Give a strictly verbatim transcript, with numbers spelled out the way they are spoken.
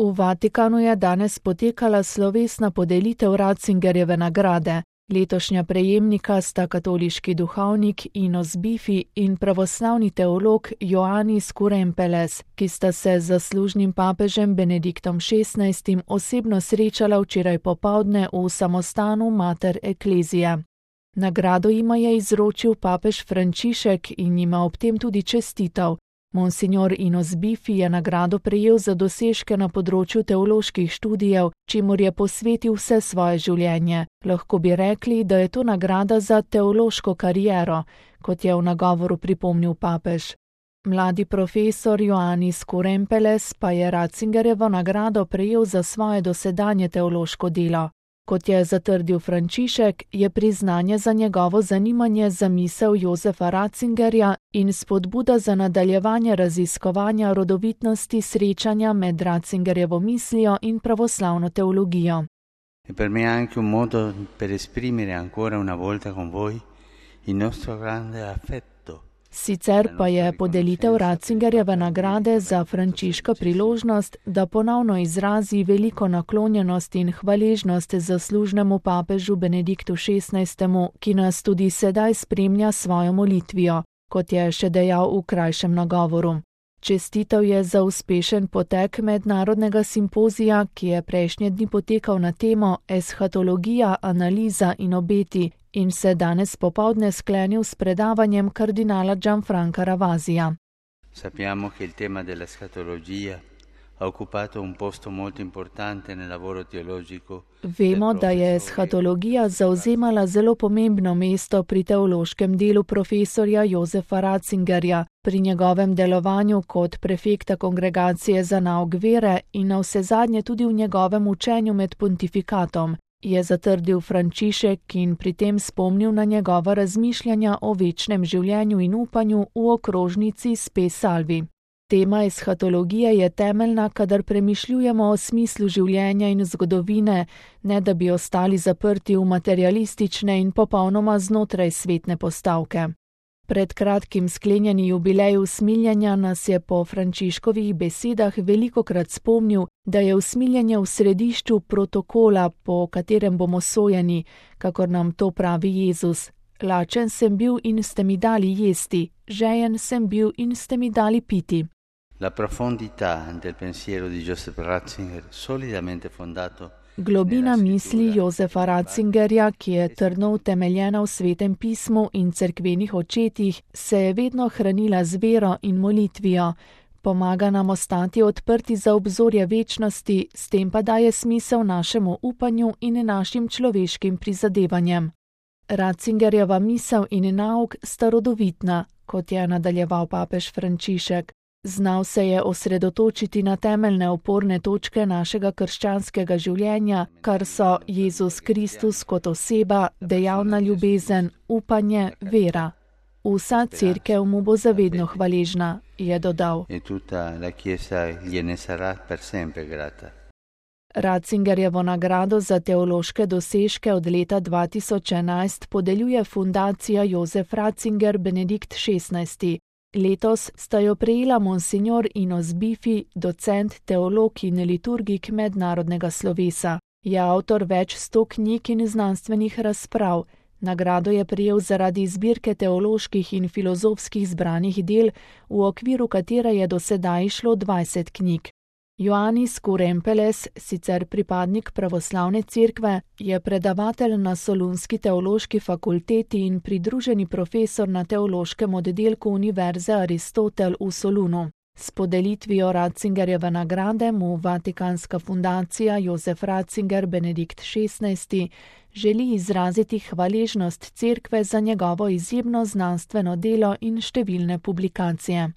V Vatikanu je danes potekala slovesna podelitev Ratzingerjeve nagrade. Letošnja prejemnika sta katoliški duhovnik Inos Bifi in pravoslavni teolog Ioannis Kourempeles, ki sta se z zaslužnim papežem Benediktom šestnajstim osebno srečala včeraj popoldne v samostanu Mater Ecclesiae. Nagrado jima je izročil papež Frančišek in jima ob tem tudi čestital. Monsignor Inos Bifi je nagrado prejel za dosežke na področju teoloških študijev, čemur je posvetil vse svoje življenje. Lahko bi rekli, da je to nagrada za teološko kariero, kot je v nagovoru pripomnil papež. Mladi profesor Ioannis Kourempeles pa je Ratzingerjevo nagrado prejel za svoje dosedanje teološko delo. Kot je zatrdil Frančišek, je priznanje za njegovo zanimanje za misel Josefa Ratzingerja in spodbuda za nadaljevanje raziskovanja rodovitnosti srečanja med Ratzingerjevo mislijo in pravoslavno teologijo. E per me è anche un modo per esprimere ancora una volta con voi il nostro grande affetto. Sicer pa je podelitev Ratzingerjeve nagrade za Frančiška priložnost, da ponovno izrazi veliko naklonjenost in hvaležnost zaslužnemu papežu Benediktu šestnajstemu, ki nas tudi sedaj spremlja svojo molitvijo, kot je še dejal v krajšem nagovoru. Čestitev je za uspešen potek mednarodnega simpozija, ki je prejšnje dni potekal na temo Eschatologija, analiza in obeti, in se danes popoldne sklenil s predavanjem kardinala Gianfranca Ravasija. Sappiamo che il tema dell'eschatologia ha occupato un posto molto importante nel lavoro teologico. Vemo, da je eschatologija zauzemala zelo pomembno mesto pri teološkem delu profesorja Josefa Ratzingerja, pri njegovem delovanju kot prefekta kongregacije za nauk vere in navsezadnje tudi v njegovem učenju med pontifikatom, je zatrdil Frančišek in pri tem spomnil na njegova razmišljanja o večnem življenju in upanju v okrožnici Spe Salvi. Tema eschatologije je temeljna, kadar premišljujemo o smislu življenja in zgodovine, ne da bi ostali zaprti v materialistične in popolnoma znotraj svetne postavke. Pred kratkim sklenjeni jubilej usmiljenja nas je po Frančiškovih besedah velikokrat spomnil, da je usmiljenje v središču protokola, po katerem bomo sojeni, kakor nam to pravi Jezus. Lačen sem bil in ste mi dali jesti, žejen sem bil in ste mi dali piti. La profondità del pensiero di Joseph Ratzinger, solidamente fondato. Globina misli Josefa Ratzingerja, ki je trdno utemeljena v Svetem pismu in cerkvenih očetih, se je vedno hranila z vero in molitvijo. Pomaga nam ostati odprti za obzorje večnosti, s tem pa daje smisel našemu upanju in našim človeškim prizadevanjem. Ratzingerjeva misel in nauk sta rodovitna, kot je nadaljeval papež Frančišek. Znal se je osredotočiti na temeljne oporne točke našega krščanskega življenja, kar so Jezus Kristus kot oseba, dejavna ljubezen, upanje, vera. Vsa cerkev mu bo zavedno hvaležna, je dodal. Ratzingerjevo nagrado za teološke dosežke od leta dva tisoč enajst podeljuje fundacija Josef Ratzinger Benedikt šestnajsti. Letos sta jo prejela monsignor Inos Bifi, docent, teolog in liturgik mednarodnega slovesa. Je avtor več sto knjig in znanstvenih razprav. Nagrado je prejel zaradi zbirke teoloških in filozofskih zbranih del, v okviru katere je do sedaj išlo dvajset knjig. Ioannis Kourempeles, sicer pripadnik pravoslavne cerkve, je predavatelj na Solunski teološki fakulteti in pridruženi profesor na teološkem oddelku Univerze Aristotel v Solunu. S podelitvijo Ratzingerjeve nagrade mu Vatikanska fundacija Josef Ratzinger Benedikt šestnajsti želi izraziti hvaležnost cerkve za njegovo izjemno znanstveno delo in številne publikacije.